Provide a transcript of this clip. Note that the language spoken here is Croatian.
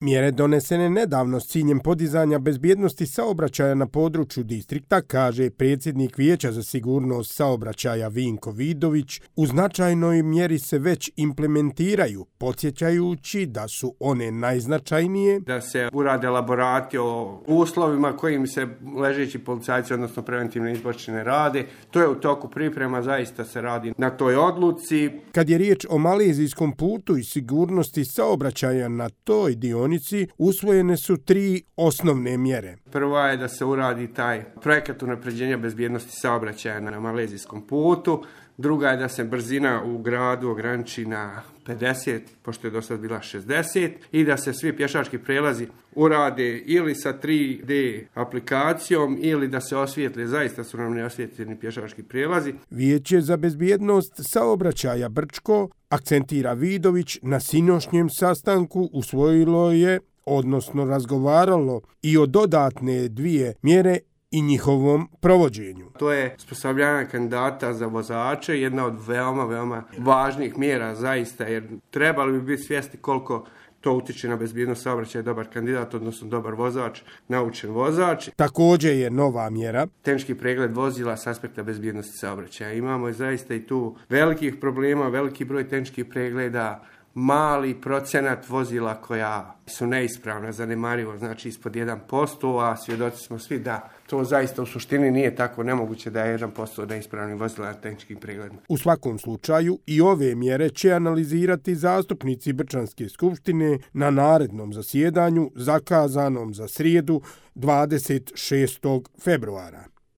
Mjere donesene nedavno s ciljem podizanja bezbjednosti saobraćaja na području distrikta, kaže predsjednik Vijeća za sigurnost saobraćaja Vinko Vidović, u značajnoj mjeri se već implementiraju, podsjećajući da su one najznačajnije. Da se urade elaborati o uslovima kojim se ležeći policajci, odnosno preventivne izbačene rade. To je u toku priprema, zaista se radi na toj odluci. Kad je riječ o malezijskom putu i sigurnosti saobraćaja na toj dionici, usvojene su 3 osnovne mjere. Prva je da se uradi taj projekat unapređenja bezbjednosti saobraćaja na malezijskom putu. Druga je da se brzina u gradu ograniči na 50, pošto je do sad bila 60, i da se svi pješački prelazi urade ili sa 3D aplikacijom ili da se osvijetle, zaista su nam neosvjetljeni pješački prelazi. Vijeće za bezbjednost saobraćaja Brčko, akcentira Vidović, na sinošnjem sastanku usvojilo je, odnosno razgovaralo i o dodatne 2 mjere i njihovom provođenju. To je osposobljavanje kandidata za vozače, jedna od veoma važnih mjera zaista, jer trebali bi biti svjesni koliko to utiče na bezbjednost saobraćaja, dobar kandidat, odnosno dobar vozač, naučen vozač. Također je nova mjera Tehnički pregled vozila s aspekta bezbjednosti saobraćaja. Imamo zaista i tu velikih problema, veliki broj tehničkih pregleda, mali procenat vozila koja su neispravna, zanemarivo, znači ispod 1%, a svjedoci smo svi da to zaista u suštini nije tako nemoguće da je 1% neispravnih vozila na tehničkim pregledima. U svakom slučaju i ove mjere će analizirati zastupnici Brčanske skupštine na narednom zasjedanju zakazanom za srijedu 26. februara.